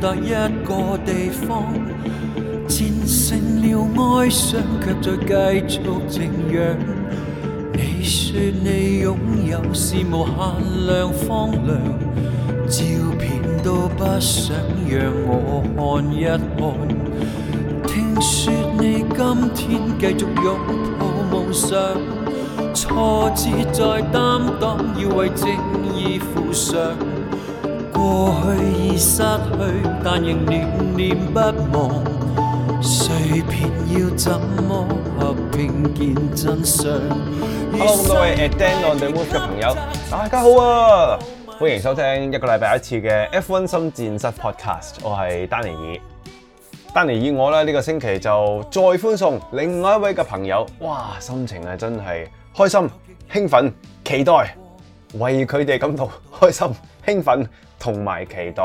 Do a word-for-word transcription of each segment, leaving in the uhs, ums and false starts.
達一個地方，戰勝了哀傷，卻再繼續靜養。你說你擁有是無限量荒涼，照片都不想讓我看一看。聽說你今天繼續擁抱夢想，挫折再擔當，要為正義負上。過去已失去，但仍念念不忘。碎片要怎麼合拼見真相 ？Hello， 咁多位 at Dan on the Move 嘅朋友，大家好啊！歡迎收聽一個禮拜一次嘅 F 一 心戰室 Podcast， 我係丹尼爾。丹尼爾我咧呢個星期就再歡送另外一位嘅朋友，哇！心情係真係開心、興奮、期待，為佢哋感到開心、興奮同埋期待。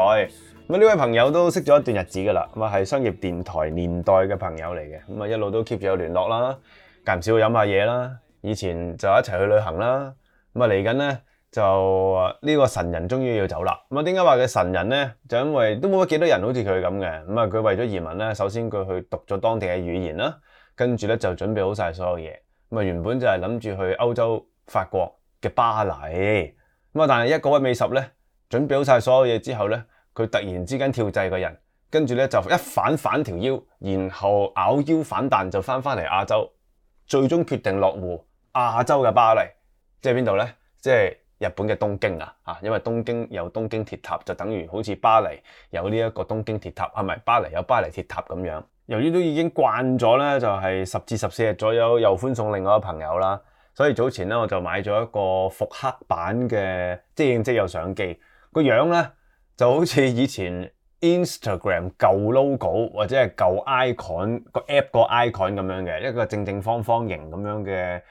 咁呢位朋友都識咗一段日子噶啦，咁啊係商業電台年代嘅朋友嚟嘅，咁啊一路都 keep 住有聯絡啦，間唔少飲下嘢啦，以前就一齊去旅行啦，咁啊嚟緊咧就呢個神人終於要走啦。咁啊點解話佢神人咧？就因為都冇乜幾多人好似佢咁嘅，咁啊佢為咗移民咧，首先佢去讀咗當地嘅語言啦，跟住咧就準備好晒所有嘢，咁啊原本就係諗住去歐洲法國嘅巴黎，咁啊但係一個位尾十咧，準備好晒所有嘢之後咧，佢突然之間跳掣個人，跟住咧就一反反條腰，然後咬腰反彈就翻翻嚟亞洲，最終決定落戶亞洲嘅巴黎，即係邊度咧？即係日本嘅東京啊！嚇，因為東京有東京鐵塔，就等於好似巴黎有呢一個東京鐵塔，係咪巴黎有巴黎鐵塔咁樣？由於都已經慣咗咧，就係十至十四日左右又歡送另外一個朋友啦，所以早前咧我就買咗一個復刻版嘅即影即有相機，個樣咧就好似以前 Instagram 舊 logo 或者係舊 icon 個 app 個 icon 咁樣嘅一個正正方方形咁樣嘅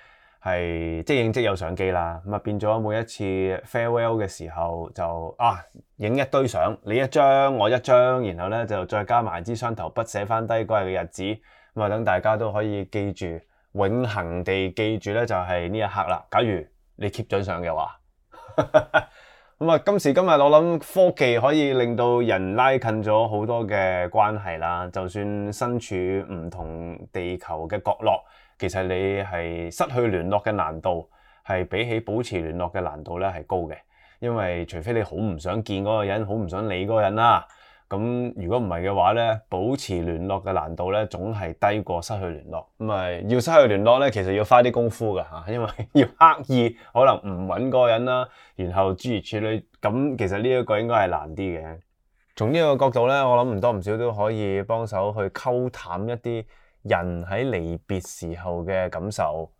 係即影即有相機啦。咁啊變咗每一次 farewell 嘅時候就啊影一堆相，你一張我一張，然後咧就再加埋支雙頭筆寫翻低嗰日嘅日子，咁啊等大家都可以記住，永恆地記住咧就係呢一刻啦。假如你 keep 咗相嘅話。咁啊，今時今日我諗科技可以令到人拉近咗好多嘅關係啦。就算身處唔同地球嘅角落，其實你係失去聯絡嘅難度係比起保持聯絡嘅難度咧係高嘅。因為除非你好唔想見嗰個人，好唔想理嗰個人啦。咁如果唔係嘅話咧，保持聯絡嘅難度咧總係低過失去聯絡。咁啊，要失去聯絡咧，其實要花啲功夫㗎嚇，因為要刻意可能唔揾嗰個人啦，然後諸如此類。咁其實呢一個應該係難啲嘅。從呢個角度咧，我諗唔多唔少都可以幫手去溝淡一啲人喺離別時候嘅感受。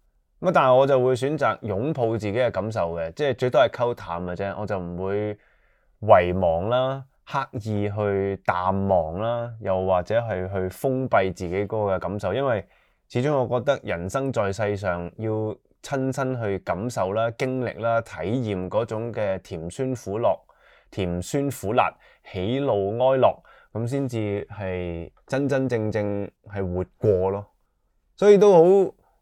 咁但係我就會選擇擁抱自己嘅感受嘅，即係最多係溝淡嘅啫，我就唔會遺忘啦。刻意去淡忘啦，又或者係去封閉自己嗰個嘅感受，因為始終我覺得人生在世上要親身去感受啦、經歷啦、體驗嗰種嘅甜酸苦辣、甜酸苦辣、喜怒哀樂，咁先至係真真正正係活過咯。所以都好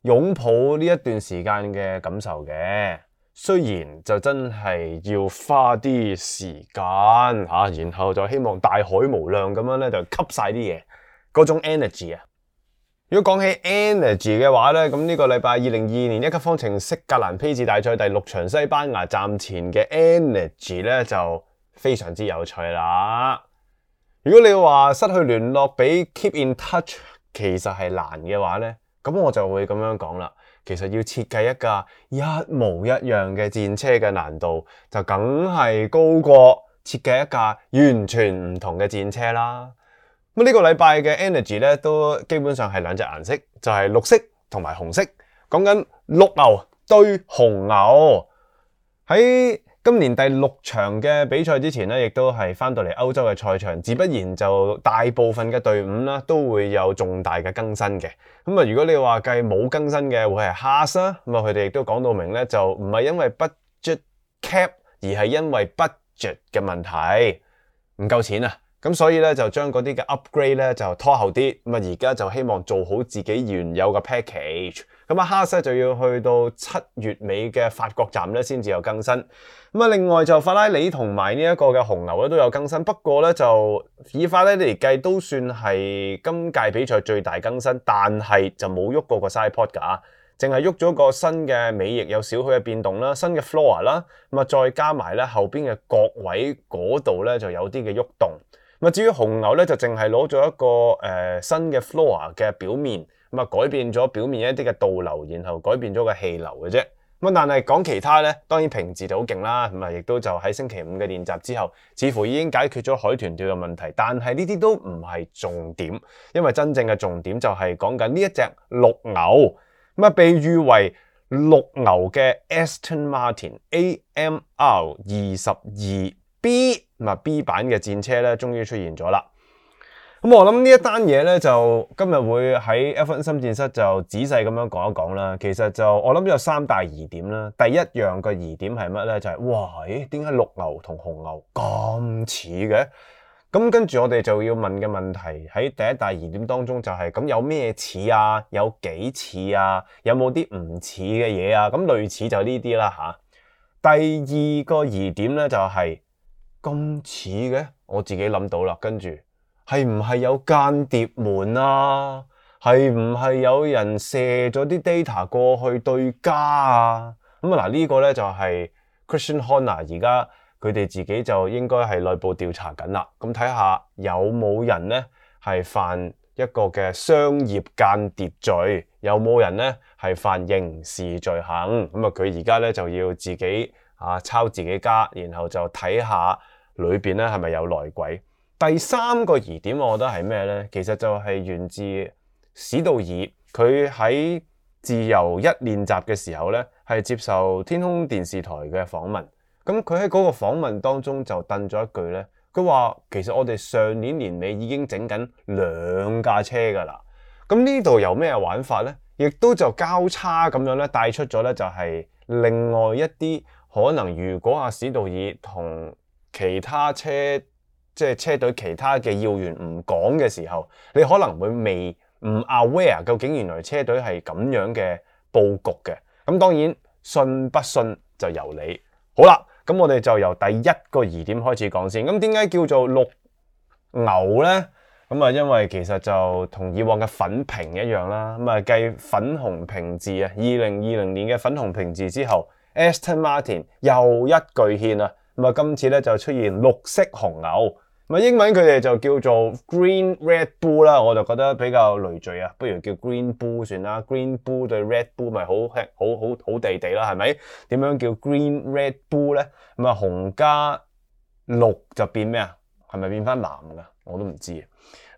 擁抱呢一段時間嘅感受嘅。雖然就真係要花啲時間吓，然後就希望大海無量咁樣咧就吸晒啲嘢，嗰種 energy 啊。如果講起 energy 嘅話咧，咁呢個禮拜二零二二年一級方程式格蘭披治大賽第六場西班牙站前嘅 energy 咧就非常之有趣啦。如果你話失去聯絡比 keep in touch 其實係難嘅話咧，咁我就會咁樣講啦。其實要設計一架一模一樣嘅戰車嘅難度，就梗係高過設計一架完全唔同嘅戰車啦。咁呢個禮拜嘅 energy 咧，都基本上係兩隻顏色，就係綠色同埋紅色。講緊綠牛對紅牛。喺今年第六場嘅比賽之前咧，亦都係翻到嚟歐洲嘅賽場，自不然就大部分嘅隊伍啦，都會有重大嘅更新嘅。咁啊，如果你話計冇更新嘅，會係 Haas 啦。咁啊，佢哋亦都講到明咧，就唔係因為 budget cap，而係因為 budget 嘅問題，唔夠錢啊。咁所以咧就將嗰啲嘅 upgrade 咧就拖後啲。咁啊，而家就希望做好自己原有嘅 package。咁啊，Haas 就要去到七月尾嘅法國站咧先至有更新。咁啊，另外就法拉利同埋呢一個嘅紅牛咧都有更新，不過咧就以法拉利嚟計都算係今屆比賽最大更新，但係就冇喐過個 side pod 㗎，淨係喐咗個新嘅尾翼有少許嘅變動啦，新嘅 floor 啦，咁啊再加埋咧後邊嘅角位嗰度咧就有啲嘅喐動。咁啊，至於紅牛咧就淨係攞咗一個誒、呃、新嘅 floor 嘅表面。咁啊，改變咗表面一啲嘅導流，然後改變咗個氣流嘅啫。咁但係講其他咧，當然平治就好勁啦。咁啊，亦都就喺星期五嘅練習之後，似乎已經解決咗海豚跳嘅問題。但係呢啲都唔係重點，因為真正嘅重點就係講緊呢一隻綠牛。咁啊，被譽為綠牛嘅 Aston Martin A M R 二十二 B， 咁啊 B 版嘅戰車咧，終於出現咗啦。咁我諗呢一單嘢咧，就今日會喺 F 一 心戰室就仔細咁樣講一講啦。其實就我諗有三大疑點啦。第一樣個疑點係乜咧？就係、是、哇，誒點解綠牛同紅牛咁似嘅？咁跟住我哋就要問嘅問題喺第一大疑點當中就係、是、咁有咩似啊？有幾似啊？有冇啲唔似嘅嘢啊？咁類似就呢啲啦吓。第二個疑點咧就係咁似嘅，我自己諗到啦，跟住。係唔係有間諜門啊？係唔係有人射咗啲 data 過去對家啊？咁啊嗱，呢個咧就係 Christian Horner 而家佢哋自己就應該係內部調查緊啦。咁睇下有冇人咧係犯一個嘅商業間諜罪，有冇人咧係犯刑事罪行？咁啊，佢而家咧就要自己啊抄自己家，然後就睇下裏邊咧係咪有內鬼。第三個疑點，我覺得係咩呢？其實就係源自史道爾，佢喺自由一練習嘅時候呢，係接受天空電視台嘅訪問。咁佢喺嗰個訪問當中就掟咗一句呢，佢話其實我哋上年年尾已經整緊兩架車㗎啦。咁呢度有咩玩法呢？亦都就交叉咁樣咧帶出咗呢，就係另外一啲可能，如果阿史道爾同其他車即係車隊其他嘅要員唔講嘅時候，你可能會未唔 aware 究竟原來車隊係咁樣嘅佈局嘅。咁當然信不信就由你。好啦，咁我哋就由第一個疑點開始講先。咁點解叫做綠牛呢？咁啊，因為其實就同以往嘅粉瓶一樣啦。咁啊，繼粉紅平治啊，二零二零年嘅粉紅平治之後 ，Aston Martin 又一巨獻啊。咁啊，今次咧就出現綠色紅牛。咁英文佢哋就叫做 Green Red Bull 啦，我就覺得比較累贅啊，不如叫 Green Bull 算啦。Green Bull 對 Red Bull 咪好好好好地地啦，係咪？點樣叫 Green Red Bull 咧？咁啊，紅加綠就變咩啊？係咪變翻藍噶？我都唔知。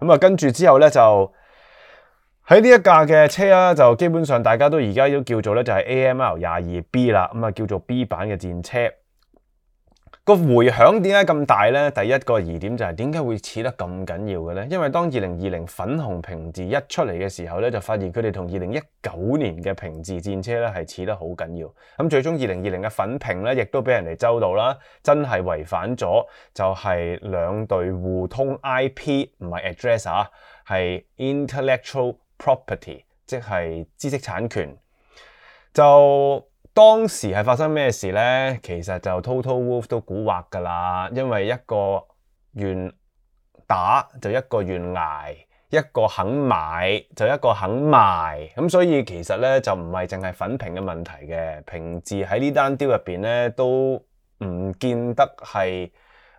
咁啊，跟住之後咧就喺呢一架嘅車啦，就基本上大家都而家都叫做咧就係 A M R 廿二 B 啦，咁啊叫做 B 版嘅戰車。個回響點解咁大呢？第一個疑點就係點解會似得咁緊要嘅呢？因為當二零二零粉紅平治一出嚟嘅時候咧，就發現佢哋同二零一九年嘅平治戰車咧係似得好緊要。咁最終二零二零嘅粉平咧，亦都俾人哋周到啦，真係違反咗就係兩隊互通 I P 唔係 address 啊，係 intellectual property， 即係知識產權。就當時係發生咩事呢？其實就 Total Wolf 都蠱惑㗎啦，因為一個願打就一個願捱，一個肯買就一個肯賣，咁所以其實咧就唔係淨係粉平嘅問題嘅，平治喺呢單 deal 入邊咧都唔見得係誒、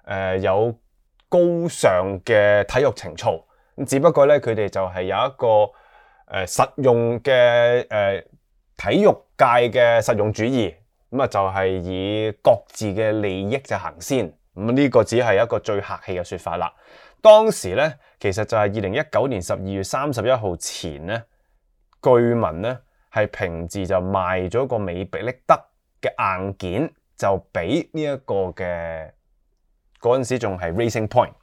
呃、有高尚嘅體育情操，只不過咧佢哋就係有一個誒、呃、實用嘅誒。呃體育界嘅實用主義，咁啊就係以各自嘅利益就行先，咁呢個只係一個最客氣嘅說法啦。當時咧，其實就係二零一九年十二月三十一號前咧，據聞咧係平治就賣咗個美比力德嘅硬件，就俾呢一個嘅嗰陣時仲係 Racing Point，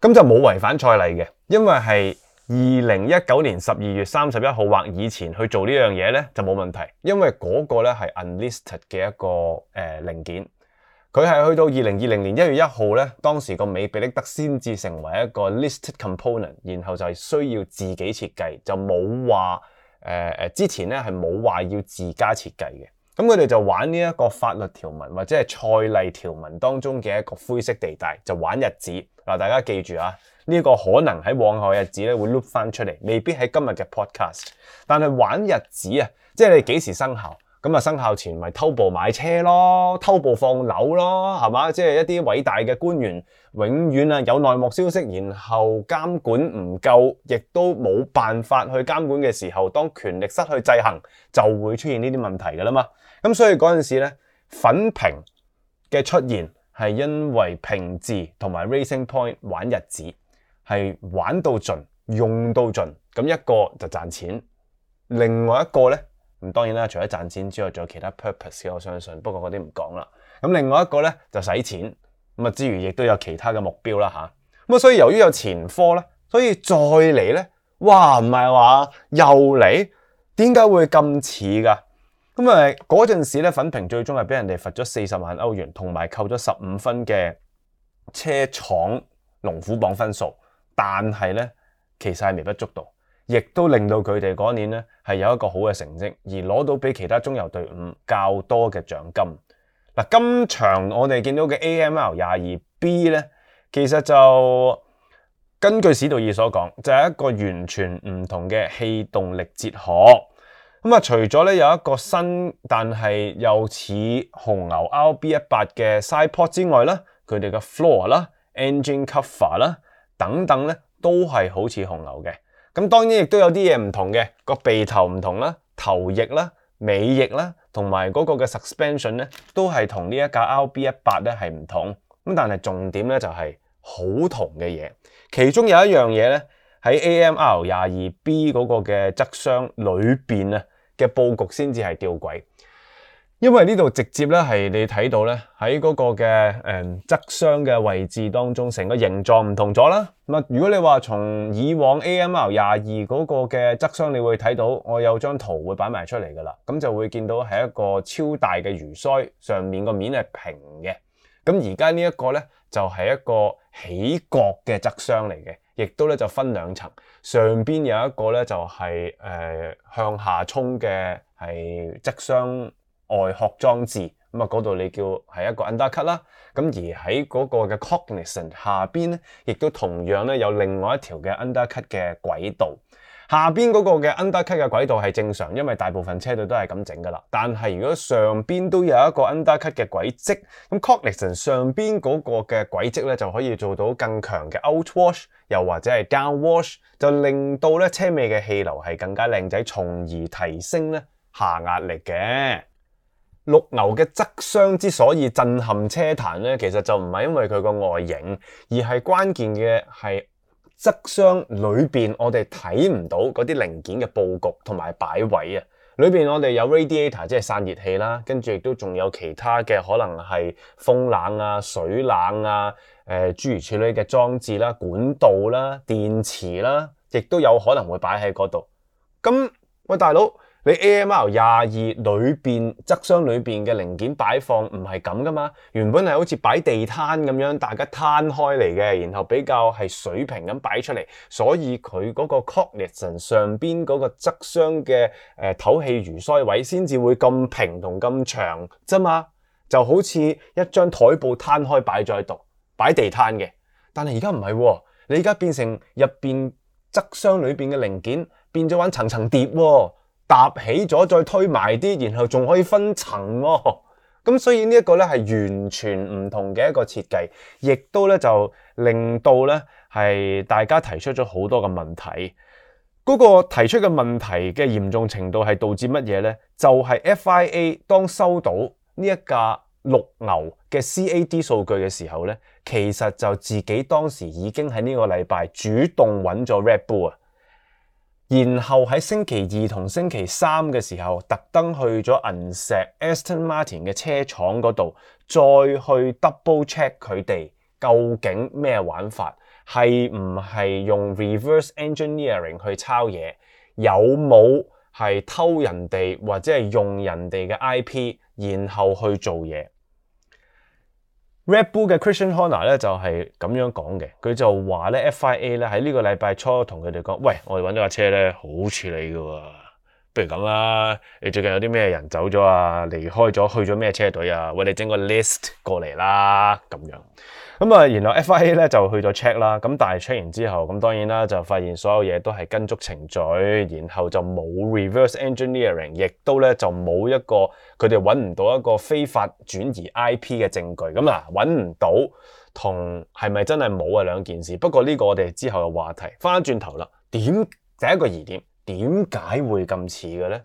咁就冇違反賽例嘅，因為係。二零一九年十二月三十一號或以前去做呢樣嘢咧就冇問題，因為嗰個咧係 unlisted 嘅一個誒、呃、零件，佢係去到二零二零年一月一號咧，當時個美比力德先至成為一個 listed component，然後就係需要自己設計，就冇話誒之前咧係冇話要自家設計嘅。咁佢哋就玩呢一個法律條文或者係賽例條文當中嘅一個灰色地帶，就玩日子。嗱，大家記住啊，呢、這個可能喺往後日子咧會 loop 翻出嚟，未必喺今日嘅 podcast。但係玩日子啊，即係你幾時生效？咁啊生效前咪偷步買車咯，偷步放樓咯，係嘛？即係一啲偉大嘅官員，永遠啊有內幕消息，然後監管唔夠，亦都冇辦法去監管嘅時候，當權力失去制衡，就會出現呢啲問題㗎啦嘛。咁所以嗰陣時咧，粉屏嘅出現係因為平治同埋 Racing Point 玩日子，係玩到盡，用到盡。咁一個就賺錢，另外一個咧，咁當然啦，除咗賺錢之外，仲有其他 purpose 嘅，我相信。不過嗰啲唔講啦。咁另外一個咧就使錢，咁啊之餘亦都有其他嘅目標啦吓。咁啊，所以由於有前科咧，所以再嚟咧，哇唔係話又嚟，點解會咁似㗎？咁啊，嗰陣時咧，粉屏最終係俾人哋罰咗四十萬歐元，同埋扣咗十五分嘅車廠龍虎榜分數。但係咧，其實係微不足道，亦都令到佢哋嗰年咧係有一個好嘅成績，而攞到比其他中游隊伍較多嘅獎金。嗱，今場我哋見到嘅 A M R 廿二 B 咧，其實就根據史道爾所講，就係一個完全唔同嘅氣動力哲學。咁啊，除咗咧有一個新但係又似紅牛 R B 一百嘅 sidepod 之外啦，佢哋嘅 floor 啦、engine cover 啦等等咧，都係好似紅牛嘅。咁當然亦都有啲嘢唔同嘅，個鼻頭唔同啦，頭翼啦、尾翼啦，同埋嗰個嘅 suspension 咧，都係同呢一架 R B 一百咧係唔同。咁但係重點咧就係好同嘅嘢，其中有一樣嘢咧喺 A M R 廿二 B 嗰個嘅側箱裏邊啊嘅佈局先至係吊詭，因為呢度直接咧係你睇到咧喺嗰個嘅誒側箱嘅位置當中，成個形狀唔同咗啦。咁啊，如果你話從以往 A M R 廿二嗰個嘅側箱，你會睇到我有張圖會擺埋出嚟噶啦，咁就會見到係一個超大嘅魚鰓，上面個面係平嘅。咁而家呢一個咧就係一個起角嘅側箱嚟嘅，亦都咧就分兩層，上邊有一個咧就係、是、誒、呃、向下衝嘅係側箱外殼裝置，咁啊嗰度你叫係一個 undercut 啦。咁而喺嗰個嘅 cognizant 下邊咧，亦都同樣咧有另外一條嘅 undercut 嘅軌道。下邊嗰個嘅 undercut 嘅軌道係正常，因為大部分車隊都係咁整噶啦。但係如果上邊都有一個 undercut 嘅軌跡，咁 cognizant 上邊嗰個嘅軌跡咧就可以做到更強嘅 outwash， 又或者係 downwash， 就令到咧車尾嘅氣流係更加靚仔，從而提升咧下壓力嘅。綠牛嘅側箱之所以震撼車壇咧，其實就唔係因為佢個外形，而係關鍵嘅係側箱裏邊我哋睇唔到嗰啲零件嘅佈局同埋擺位啊。裏邊我哋有 radiator 即係散熱器啦，跟住亦都仲有其他嘅可能係風冷啊、水冷啊、誒、呃、諸如此類嘅裝置啦、管道啦、電池啦，亦都有可能會擺喺嗰度。咁喂大佬，你 A M R 廿二裏邊側箱裏邊嘅零件擺放唔係咁噶嘛？原本係好似擺地攤咁樣，大家攤開嚟嘅，然後比較係水平咁擺出嚟，所以佢嗰個 cognizant 上邊嗰個側箱嘅誒透氣魚鰓位先至會咁平同咁長啫嘛，就好似一張台布攤開擺咗喺度，擺地攤嘅。但係而家唔係喎，你而家變成入邊側箱裏邊嘅零件變咗玩層層疊喎。搭起咗再推埋啲，然後仲可以分層喎。咁所以呢一個咧係完全唔同嘅一個設計，亦都咧就令到咧係大家提出咗好多嘅問題。嗰個提出嘅問題嘅嚴重程度係導致乜嘢咧？就係 F I A 當收到呢一架綠牛嘅 C A D 數據嘅時候咧，其實就自己當時已經喺呢個禮拜主動揾咗 Red Bull 啊。然後喺星期二同星期三嘅時候，特登去咗銀石 Aston Martin 嘅車廠嗰度，再去 double check 佢哋究竟咩玩法，係唔係用 reverse engineering 去抄嘢，有冇係偷人哋或者係用人哋嘅 I P， 然後去做嘢。Red Bull 嘅 Christian Horner 咧就係咁樣講嘅，佢就話咧 F I A 咧喺呢個禮拜初同佢哋講，喂，我哋揾到架車咧好似你㗎喎，不如咁啦，你最近有啲咩人走咗啊，離開咗，去咗咩車隊啊？喂，你整個 list 過嚟啦，咁樣。咁啊，然後 F I A 咧就去咗 check 啦，咁但係 check 完之後，咁當然啦就發現所有嘢都係跟足程序，然後就冇 reverse engineering，亦都咧就冇一個佢哋揾唔到一個非法轉移 I P 嘅證據。咁嗱，揾唔到同係咪真係冇啊兩件事。不過呢個我哋之後嘅話題，翻轉頭啦，點第一個疑點，點解會咁似嘅咧？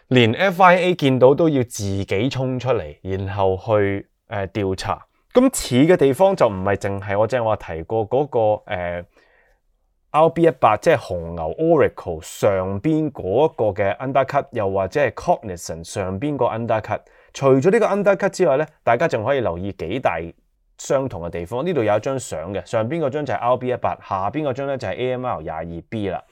連 F I A 見到都要自己衝出嚟，然後去誒調查。咁似嘅地方就唔係淨係我正話提過嗰、那個誒、呃、R B 一百，即係紅牛 Oracle 上邊嗰個嘅 undercut， 又或者係 Cognizant 上邊個 undercut。除咗呢個 undercut 之外咧，大家仲可以留意幾大相同嘅地方。呢度有一張相嘅，上邊嗰張就係 R B 一百，下邊嗰張咧就係 A M R 廿二 B 啦。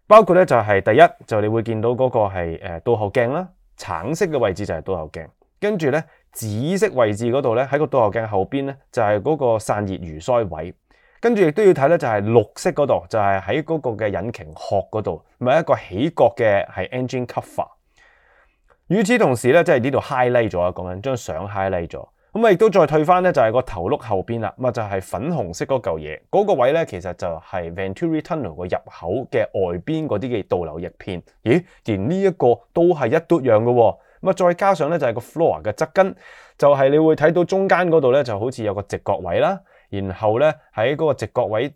包括咧就係、是、第一就你會見到嗰個係誒倒後鏡啦，橙色嘅位置就係倒後鏡，跟住咧。紫色位置嗰度咧，喺個倒後鏡後邊咧，就係嗰個散熱魚腮位。跟住亦都要睇咧，就係綠色嗰度，就係喺嗰個嘅引擎殼嗰度，咪一個起角嘅係 engine cover。與此同時咧，即係呢度 highlight 咗啊，講緊張相 highlight 咗。咁啊，亦都再退翻咧，就係個頭轆後邊啦，咁啊就係粉紅色嗰嚿嘢，嗰個位咧其實就係 Venturi Tunnel 個入口嘅外邊嗰啲嘅導流翼片。咦，連呢一個都係一嘟樣嘅喎。咁啊，再加上咧就係個 floor 嘅側根，就係你會睇到中間嗰度咧就好似有個直角位啦，然後咧喺嗰個直角位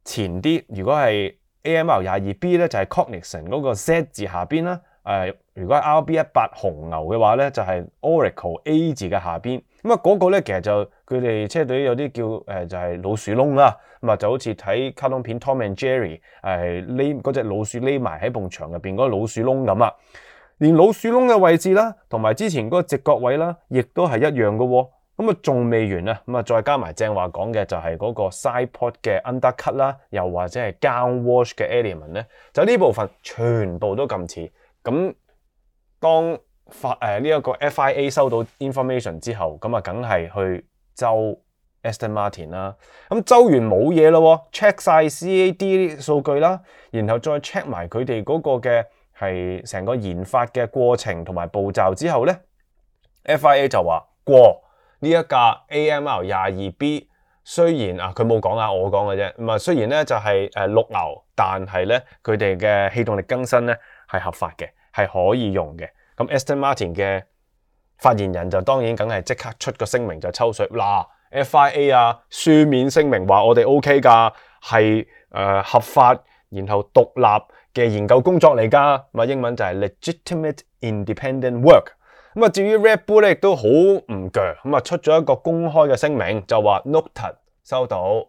前啲，如果係 A M R 廿二 B 咧就係 Cognizant 嗰個 Z 字下邊啦，誒、呃、如果係 R B 一百紅牛嘅話咧就係 Oracle A 字嘅下邊，咁啊嗰個咧其實就佢哋車隊有啲叫誒、呃、就係、是、老鼠窿啦，咁啊就好似睇卡通片 Tom and Jerry 誒匿嗰隻老鼠匿埋喺埲牆入邊嗰個老鼠窿咁啊。連老鼠窿嘅位置啦，同埋之前嗰個直角位啦，亦都係一樣嘅喎。咁啊，仲未完啊，咁啊，再加埋正話講嘅就係嗰個 side pod 嘅 undercut 啦，又或者係 down wash 嘅 element 咧，就呢部分全部都咁似。咁當發誒呢一個 F I A 收到 information 之後，咁啊，梗係去周 Aston Martin 啦。咁周完冇嘢咯 ，check 晒 C A D 數據啦，然後再 check 埋佢哋嗰個嘅。係成個研發嘅過程同埋步驟之後咧 ，F I A 就話過呢一架 A M R 廿二 B， 雖然啊佢冇講啊，我講嘅啫。咁啊，雖然咧就係誒綠牛，但係咧佢哋嘅氣動力更新咧係合法嘅，係可以用嘅。咁 Aston Martin 嘅發言人就當然梗係即刻出個聲明就抽水嗱 ，F I A 啊書面聲明話我哋 OK 㗎，係誒、呃、合法，然後獨立嘅研究工作嚟㗎，咁英文就係 legitimate independent work。咁啊，至於 Red Bull 咧，亦都好唔鋸，咁啊出咗一個公開嘅聲明，就話 noted 收到，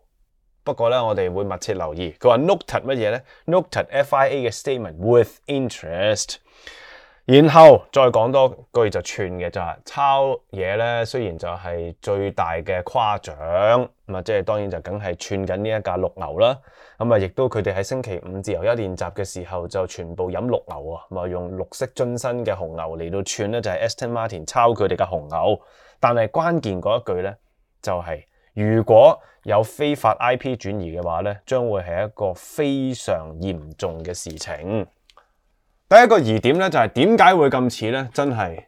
不過咧我哋會密切留意。佢話 noted 乜嘢咧 ？noted F I A 嘅 statement with interest。然後再講多句就串嘅就係抄嘢咧，雖然就係最大嘅誇獎，咁啊即係當然就梗係串緊呢一架綠牛啦。咁啊，亦都佢哋喺星期五自由一練習嘅時候就全部飲綠牛啊，咁啊用綠色樽身嘅紅牛嚟到串咧，就係 Aston Martin 抄佢哋嘅紅牛。但係關鍵嗰一句咧就係、是、如果有非法 I P 轉移嘅話咧，將會係一個非常嚴重嘅事情。第一個疑點咧就係點解會咁似咧？真係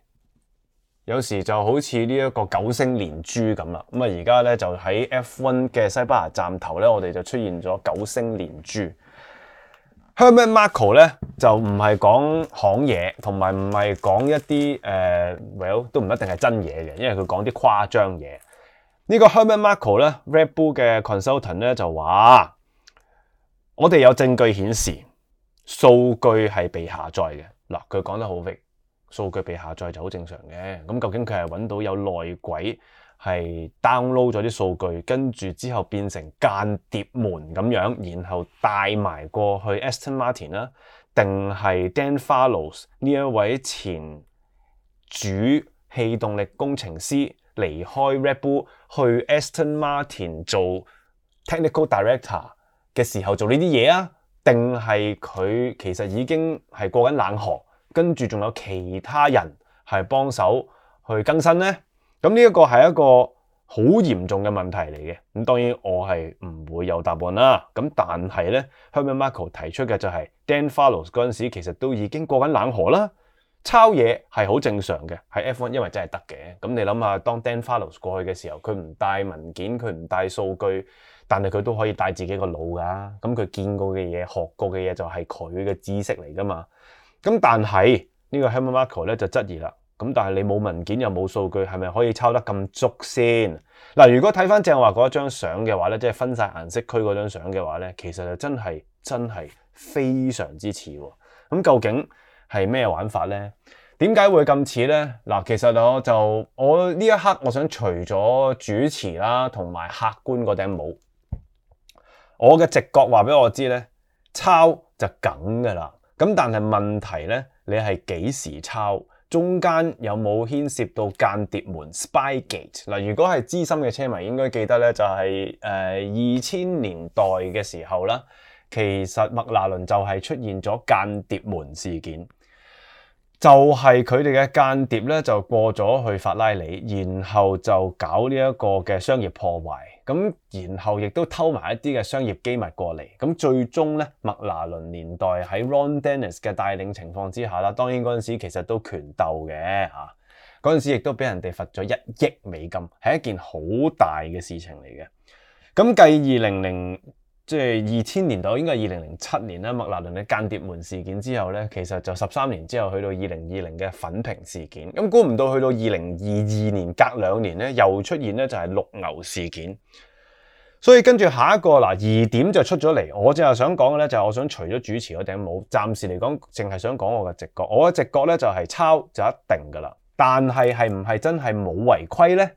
有時就好似呢一個九星連珠咁啦。咁啊而家咧就喺 F 一 嘅西班牙站頭咧，我哋就出現咗九星連珠。Helmut Marko 咧就唔係講行嘢，同埋唔係講一啲誒、呃、，well 都唔一定係真嘢嘅，因為佢講啲誇張嘢。呢、這個 Helmut Marko 咧 ，Red Bull 嘅 consultant 咧就話：我哋有證據顯示。數據係被下載嘅。嗱，佢講得好 vague，數據被下載就好正常嘅。咁究竟佢係揾到有內鬼係 download 咗啲數據，跟住之後變成間諜門咁樣，然後帶埋過去 Aston Martin 啦，定係 Dan Fallows 呢一位前主氣動力工程師離開 Red Bull 去 Aston Martin 做 Technical Director 嘅時候做呢啲嘢啊？定係佢其實已經係過緊冷河，跟住仲有其他人係幫手去更新呢？咁呢一個係一個好嚴重嘅問題嚟嘅。咁當然我係唔會有答案啦。咁但係咧 Helmut Marko 提出嘅就係 Dan Fallows 嗰陣時其實都已經過緊冷河啦。抄嘢係好正常嘅，喺 F 一 因為真係得嘅。咁你諗下，當 Dan Fallows 過去嘅時候，佢唔帶文件，佢唔帶數據，但係佢都可以帶自己個腦㗎。咁佢見過嘅嘢、學過嘅嘢就係佢嘅知識嚟㗎嘛。咁但係呢個 Helmut Marko 咧就質疑啦。咁但係你冇文件又冇數據，係咪可以抄得咁足先？嗱，如果睇翻正話嗰張相嘅話咧，即係分晒顏色區嗰張相嘅話咧，其實就真係真係非常之似喎。咁究竟係咩玩法咧？點解會咁似咧？嗱，其實我就我呢一刻我想除咗主持啦，同埋客觀嗰頂帽，我嘅直覺話俾我知咧，抄就梗噶啦。咁但係問題咧，你係幾時抄？中間有冇牽涉到間諜門 Spygate？ 嗱，如果係資深嘅車迷應該記得咧，就係誒二千年代嘅時候啦，其實麥拿倫就係出現咗間諜門事件。就係佢哋嘅間諜咧，就過咗去法拉利，然後就搞呢一個嘅商業破壞，咁然後亦都偷埋一啲嘅商業機密過嚟，咁最終咧麥拿倫年代喺 Ron Dennis 嘅帶領情況之下啦，當然嗰陣時其實都權鬥嘅嚇，嗰陣時亦都俾人哋罰咗一億美金，係一件好大嘅事情嚟嘅。咁繼二零零即係二千年代，應該係二零零七年啦，麥拿倫嘅間諜門事件之後咧，其實就十三年之後去到二零二零嘅粉屏事件。咁估唔到去到二零二二年隔兩年咧，又出現咧就係綠牛事件。所以跟住下一個嗱疑點就出咗嚟，我就係想講嘅咧就係我想除咗主持嗰頂帽，暫時嚟講淨係想講我嘅直覺。我嘅直覺咧就係抄就一定噶啦，但係係唔係真係冇違規咧？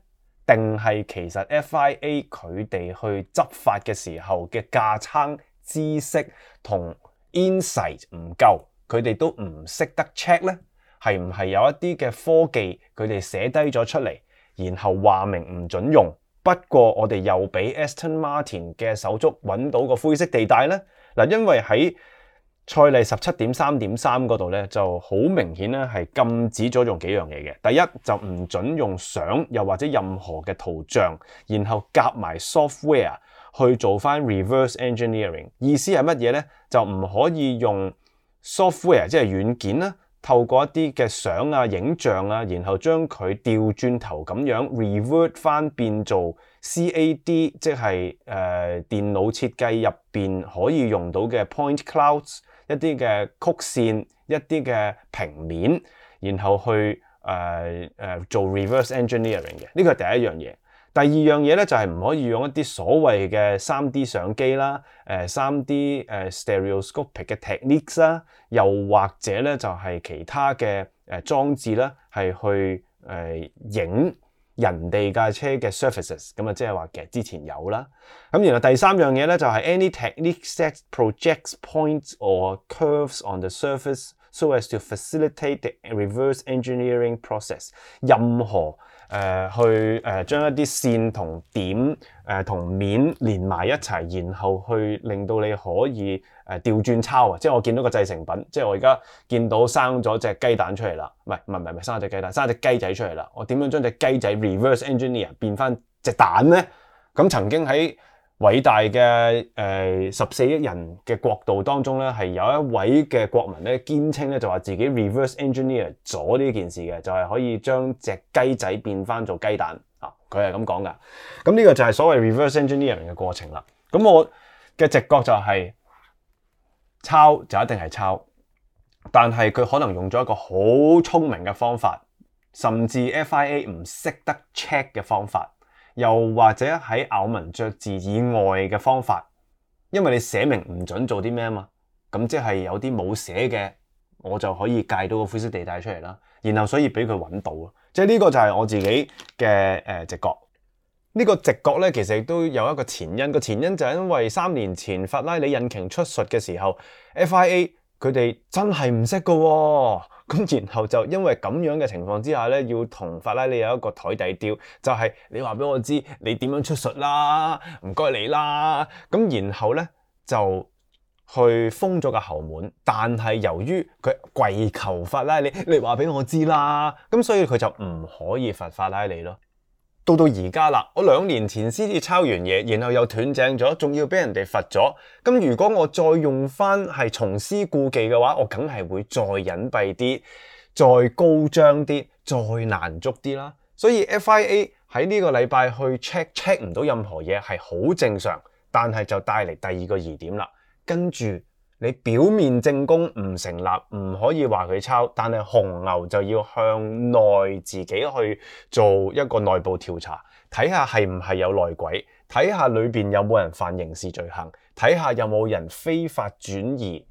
定係其實 F I A 佢哋去執法嘅時候嘅架撐知識同 insight 唔夠，佢哋都唔識得 check 咧？係唔係有一啲嘅科技佢哋寫低咗出嚟，然後話明唔準用？不過我哋又俾 Aston Martin 嘅手足揾到個灰色地帶咧。嗱，因為喺賽例十七點三點三嗰度咧，就好明顯咧係禁止咗用幾樣嘢嘅。第一就唔準用相，又或者任何嘅圖像，然後夾埋 software 去做翻 reverse engineering。意思係乜嘢咧？就唔可以用 software 即係軟件啦，透過一啲嘅相啊、影像啊，然後將佢調轉頭咁樣 revert 翻變做 C A D， 即係誒、呃、電腦設計入邊可以用到嘅 point clouds。一啲嘅曲線，一啲嘅平面，然後去誒誒、呃呃、做 reverse engineering 嘅，呢個係第一樣嘢。第二樣嘢咧就係、是、唔可以用一啲所謂嘅三 D 相機啦，誒三 D 誒 stereoscopic 嘅 techniques 啦，又或者咧就係、是、其他嘅誒裝置啦，係去誒影。呃人哋架車嘅 surfaces， 咁啊即係話其實之前有啦。咁然後第三樣嘢咧就係 any technique that projects points or curves on the surface so as to facilitate the reverse engineering process。任何誒、呃、去誒、呃、將一啲線同點誒同、呃、面連埋一齊，然後去令到你可以誒調轉抄啊！即係我見到個製成品，即係我而家見到生咗隻雞蛋出嚟啦，唔係唔係唔係生咗隻雞蛋，生咗隻雞仔出嚟啦。我點樣將隻雞仔 reverse engineer 變翻隻蛋咧？咁曾經喺偉大嘅誒十四億人嘅國度當中咧，係有一位嘅國民咧堅稱咧就話自己 reverse engineer 咗呢件事嘅，就係、是、可以將隻雞仔變翻做雞蛋啊！佢係咁講噶。咁呢個就係所謂 reverse engineering 嘅過程啦。咁我嘅直覺就係、是。抄就一定係抄，但係佢可能用咗一個好聰明嘅方法，甚至 F I A 唔識得 check 嘅方法，又或者喺咬文嚼字以外嘅方法，因為你寫明唔準做啲咩啊嘛，咁即係有啲冇寫嘅，我就可以界到個灰色地帶出嚟啦，然後所以俾佢揾到咯，即係呢個就係我自己嘅誒直覺。呢個直覺咧，其實亦都有一個前因。個前因就係因為三年前法拉利引擎出術嘅時候 ，F I A 佢哋真係唔識㗎喎。咁然後就因為咁樣嘅情況之下咧，要同法拉利有一個台底調，就係、是、你話俾我知你點樣出術啦，唔該你啦。咁然後咧就去封咗個後門，但係由於佢跪求法拉利，你話俾我知啦，咁所以佢就唔可以罰法拉利咯。到到而家啦，我兩年前先至抄完嘢，然後又斷正咗，仲要俾人哋罰咗。咁如果我再用翻係重施故技嘅話，我梗係會再隱蔽啲，再高張啲，再難捉啲啦。所以 F I A 喺呢個禮拜去 check check 唔到任何嘢係好正常，但係就帶嚟第二個疑點啦。跟住你表面證供唔成立，唔可以話佢抄，但係紅牛就要向內自己去做一個內部調查，睇下係唔係有內鬼，睇下裏邊有冇人犯刑事罪行，睇下有冇人非法轉移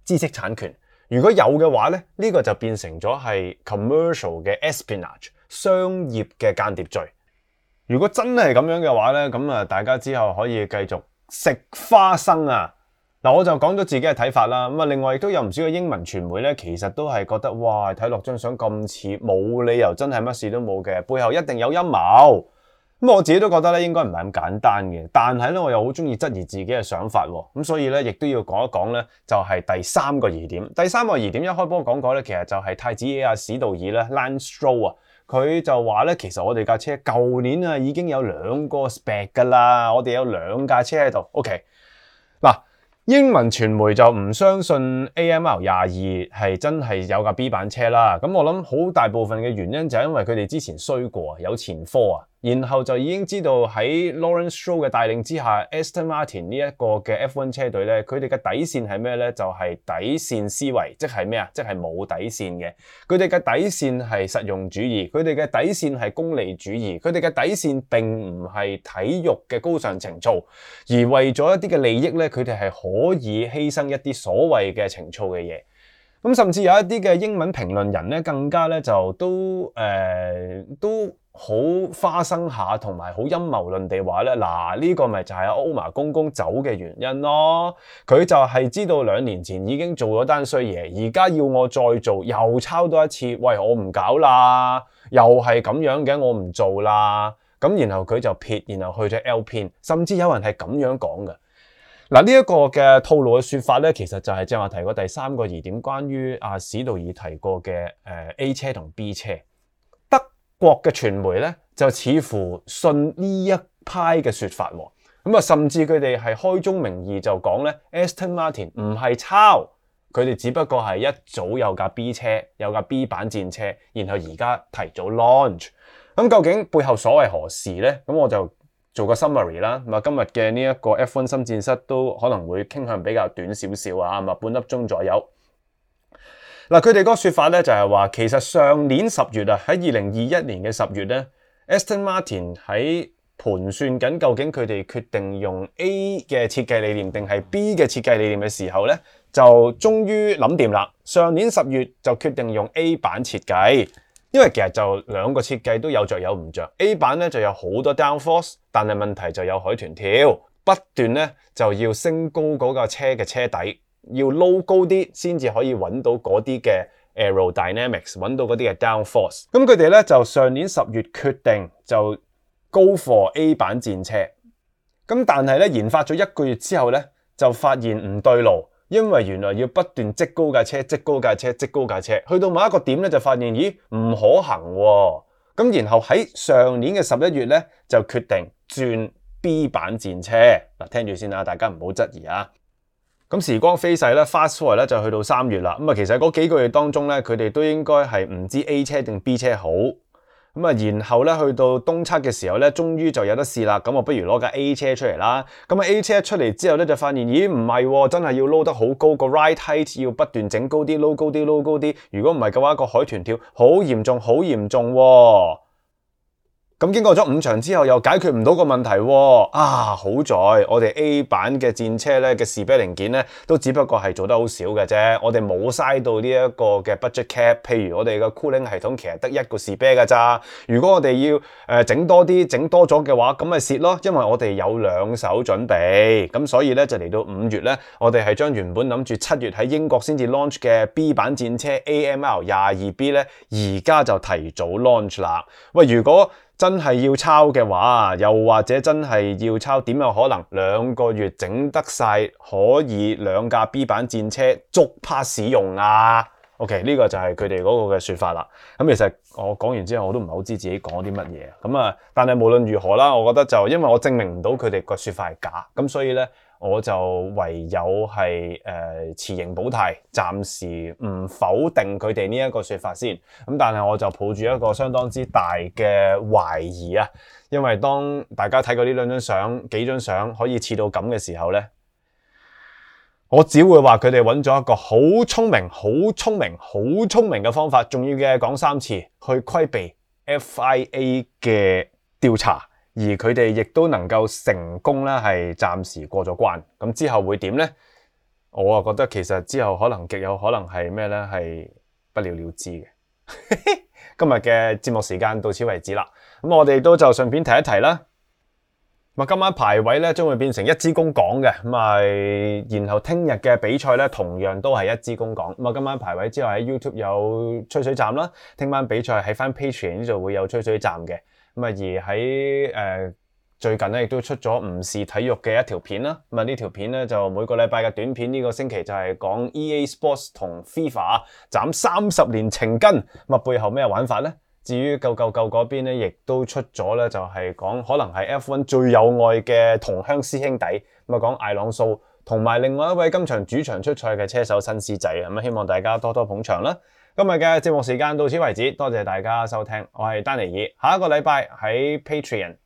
知識產權。如果有嘅話咧，呢個就變成咗係 commercial 嘅 espionage 商業嘅間諜罪。如果真係咁樣嘅話咧，咁啊大家之後可以繼續食花生啊！嗱，我就講咗自己嘅睇法啦。咁啊，另外亦都有唔少嘅英文傳媒咧，其實都係覺得哇，睇落張相咁似，冇理由真係乜事都冇嘅，背後一定有陰謀。咁我自己都覺得咧，應該唔係咁簡單嘅。但係咧，我又好中意質疑自己嘅想法喎。咁所以咧，亦都要講一講咧，就係第三個疑點。第三個疑點一開波講過咧，其實就係太子爺啊史道爾咧 Lance Stroll 啊，佢就話咧，其實我哋架車舊年啊已經有兩個 spec 噶啦，我哋有兩架車喺度。OK， 嗱。英文傳媒就唔相信 A M R 廿二係真係有架 B 版車啦，咁我諗好大部分嘅原因就係因為佢哋之前衰過，有前科啊，然後就已經知道喺 Lawrence Stroll 嘅帶領之下 Aston Martin 呢一個嘅 F 一 車隊咧，佢哋嘅底線係咩咧？就係、是、底線思維，即係咩啊？即係冇底線嘅。佢哋嘅底線係實用主義，佢哋嘅底線係功利主義，佢哋嘅底線並唔係體育嘅高尚情操，而為咗一啲嘅利益咧，佢哋係可以犧牲一啲所謂嘅情操嘅嘢。咁甚至有一啲嘅英文評論人咧，更加咧就都誒、呃、都好花生下，同埋好陰謀論地話咧，嗱呢、這個咪就係阿歐瑪公公走嘅原因咯。佢就係知道兩年前已經做咗單衰嘢，而家要我再做，又抄多一次。喂，我唔搞啦，又係咁樣嘅，我唔做啦。咁然後佢就撇，然後去咗 Alpine，甚至有人係咁樣講嘅。嗱，呢一個嘅套路嘅說法咧，其實就係正話提過第三個疑點，關於阿史道爾提過嘅誒 A 車同 B 車。德國嘅傳媒咧就似乎信呢一派嘅說法，咁啊甚至佢哋係開宗明義就講咧 Aston Martin 唔係抄，佢哋只不過係一早有架 B 車，有架 B 版戰車，然後而家提早 launch。咁究竟背後所謂何事咧？咁我就做個 summary 啦，咁啊今日嘅呢一個 F 一 心戰室都可能會傾向比較短少少啊，咁啊半粒鐘左右。嗱，佢哋嗰個說法咧就係話，其實上年十月啊，喺二零二一年嘅十月咧 ，Aston Martin 喺盤算緊究竟佢哋決定用 A 嘅設計理念定係 B 嘅設計理念嘅時候咧，就終於諗掂啦。上年十月就決定用 A 版設計。因為其實就兩個設計都有着有唔着 ，A 版咧就有好多 downforce， 但係問題就有海豚跳，不斷咧就要升高嗰架車嘅車底，要撈高啲先至可以揾到嗰啲嘅 aerodynamics， 揾到嗰啲嘅 downforce。咁佢哋咧就上年十月決定就 go for A 版戰車，咁但係咧研發咗一個月之後咧就發現唔對路。因為原來要不斷積高架車、積高架車、積高架車，去到某一個點咧就發現，咦唔可行喎。咁然後喺上年嘅十一月咧就決定轉 B 版戰車。嗱，聽住先啦，大家唔好質疑啊。咁時光飛逝咧 ，fast forward 咧就去到三月啦。咁啊，其實嗰幾個月當中咧，佢哋都應該係唔知 A 車定 B 車好。咁啊，然後咧去到東測嘅時候咧，終於就有得試啦。咁我不如攞架 A 車出嚟啦。咁啊 A 車出嚟之後咧，就發現咦唔係喎，真係要撈得好高，個 ride height 要不斷整高啲，撈高啲，撈高啲。如果唔係嘅話，個海豚跳好嚴重，好嚴重喎。咁經過咗五場之後，又解決唔到個問題喎。啊，好在我哋 A 版嘅戰車咧嘅士啤零件咧，都只不過係做得好少嘅啫。我哋冇嘥到呢一個嘅 budget cap。譬如我哋嘅 cooling 系統其實得一個士啤㗎咋。如果我哋要誒整、呃、多啲，整多咗嘅話，咁咪蝕咯。因為我哋有兩手準備。咁所以咧就嚟到五月咧，我哋係將原本諗住七月喺英國先至 launch 嘅 B 版戰車 A M R 廿二 B 咧，而家就提早 launch 啦。喂，如果真係要抄嘅話，又或者真係要抄，點有可能兩個月整得晒可以兩架 B 版戰車足趴使用啊？ OK， 呢個就係佢哋嗰個嘅說法啦。咁其實我講完之後，我都唔係好知自己講啲乜嘢。咁啊，但係無論如何啦，我覺得就因為我證明唔到佢哋個說法係假，咁所以咧我就唯有係誒、呃、持盈保泰，暫時唔否定佢哋呢一個說法先。咁但係我就抱住一個相當之大嘅懷疑啊，因為當大家睇過呢兩張相、幾張相可以似到咁嘅時候咧。我只會話佢哋揾咗一個好聰明、好聰明、好聰明嘅方法，仲要嘅講三次去規避 F I A 嘅調查，而佢哋亦都能夠成功咧，係暫時過咗關。咁之後會點呢？我啊覺得其實之後可能極有可能係咩呢？係不了了之嘅。今日嘅節目時間到此為止啦。咁我哋都就順便提一提啦。今晚排位咧將會變成一支公港嘅，咁啊，然後聽日嘅比賽咧同樣都係一支公港。咁啊，今晚排位之後喺 YouTube 有吹水站啦，聽晚比賽喺翻 Patreon 呢度會有吹水站嘅。咁啊，而喺誒、呃、最近咧亦都出咗唔是體育嘅一條片啦。咁啊，呢條片咧就每個禮拜嘅短片，呢個星期就係講 E A Sports 同 FIFA 斬三十年情根。咁啊，背後咩玩法咧？至於舊舊舊嗰邊咧，亦都出咗咧，就係講可能係 F 一 最有愛嘅同鄉師兄弟，咁啊講艾朗素同埋另外一位今場主場出賽嘅車手新師仔，咁啊希望大家多多捧場啦。今日嘅節目時間到此為止，多謝大家收聽，我係丹尼爾，下一個禮拜喺 Patreon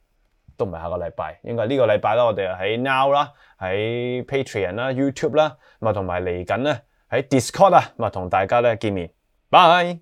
都唔係下個禮拜，應該呢個禮拜啦，我哋喺 Now 啦，喺 Patreon 啦、YouTube 啦，咁啊同埋嚟緊咧喺 Discord 啊，咁啊同大家咧見面，拜。